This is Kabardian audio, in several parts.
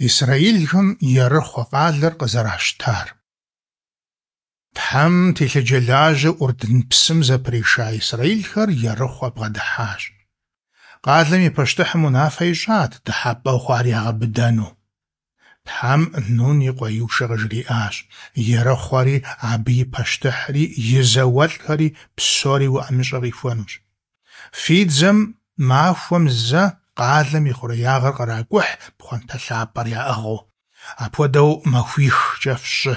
Исрэилхэм Ерыхъуэ къалэр къызэращтар. Тхьэм телъыджэлажьэу ӏурдын псым зэприша исрэилхэр Ерыхъуэ бгъэдыхьащ. Къалэм и пащтыхьым унафэ ищӏат дыхьэпӏэу хъуар ягъэбыдэну. Тхьэм Нун и къуэ Иушэ къыжриӏащ: Ерыхъуэри, абы и пащтыхьри, и зауэлӏхэри псори уи ӏэмыщӏэ къихуэнущ. Фи дзэм махуэм зэ къалэм и хъуреягъыр къракӏухь пхъуантэ лъапӏэр яӏыгъыу. Апхуэдэу махуихкӏэ фщӏы.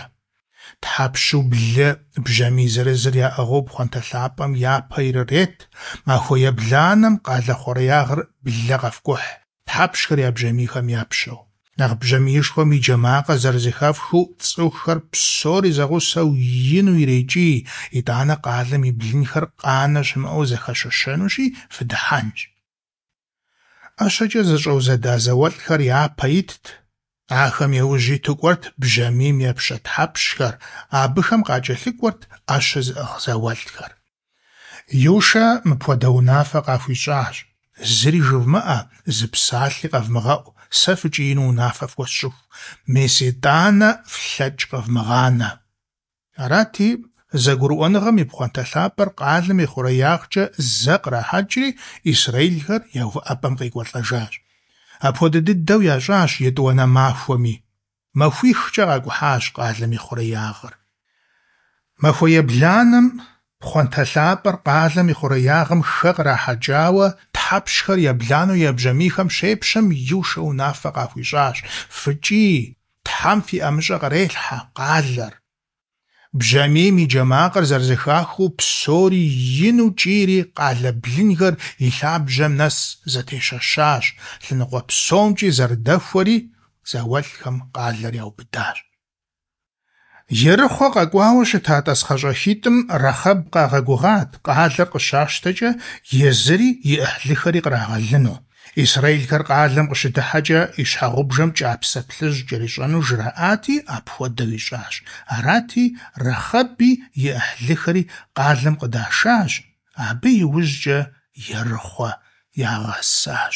Тхьэпщу блы бжьамий зырызыр яӏыгъыу пхъуантэ лъапӏэм япэ ирырет, махуэ ебланэм къалэ хъуреягъыр блэ къэфкӏухь, тхьэпщхэр я бжьамийхэм епщэу. Нэхъ бжьамиишхуэм и джэ макъыр зэрызэхэфхыу цӏыхухэр псори зэгъусэу ину ирекӏий, итӏанэ къалэм и блынхэр къанэ щымыӏэу зэхэщэщэнущи, фыдыхьэнщ. ӏэщэкӏэ зэщӏэузэда зауэлӏхэр япэ итт, ахэм яужь иту кӏуэрт бжьамийм епщэ тхьэпщхэр, абыхэм къакӏэлъыкӏуэрт ӏэщэ зыӏыгъ зауэлӏхэр. Иушэ мыпхуэдэ унафэ къахуищӏащ: Зыри жывмыӏэ, зы псалъи къэвмыгъэӏу, сэ фыкӏиину унафэ фхуэсщӏыху, мес итӏанэ флъэкӏ къэвмыгъанэ. Арати, зэгурыӏуэныгъэм и пхъуантэ лъапӏэр къалэм и хъуреягъкӏэ зэ кърахьэкӏри, исрэилхэр я увыӏэпӏэм къекӏуэлӏэжащ. Апхуэдэ дыдэу ящӏащ етӏуанэ махуэми. Махуихкӏэ къакӏухьащ къалэм и хъуреягъыр. Махуэ ебланэм пхъуантэ лъапӏэр къалэм и хъуреягъым хэ кърахьэкӏауэ, тхьэпщхэр ебланэу я бжьамийхэм щепщэм Иушэ унафэ къахуищӏащ: Фыкӏий, Тхьэм фи ӏэмыщӏэ кърелъхьэ къалэр. Бжьамийм и джэ макъыр зэрызэхахыу псори ину кӏийри къалэ блынхэр и лъабжьэм нэс зэтещэщащ, лъэныкъуэ псомкӏи зэрыдэхуэри, зауэлӏхэм къалэр яубыдащ. Ерыхъуэ къэкӏуауэ щыта тӏасхъэщӏэхитӏым Рахъэб къагъэгугъат къалэр къыщащтэкӏэ езыри и ӏыхьлыхэри кърагъэлыну. Исрэилхэр къалэм къыщыдыхьэкӏэ и щхьэгъубжэм кӏапсэ плъыжь кӏэрищӏэну жраӏати, апхуэдэу ищӏащ. Арати, Рахъэби и ӏыхьлыхэри къалэм къыдашащ, абы иужькӏэ Ерыхъуэ ягъэсащ.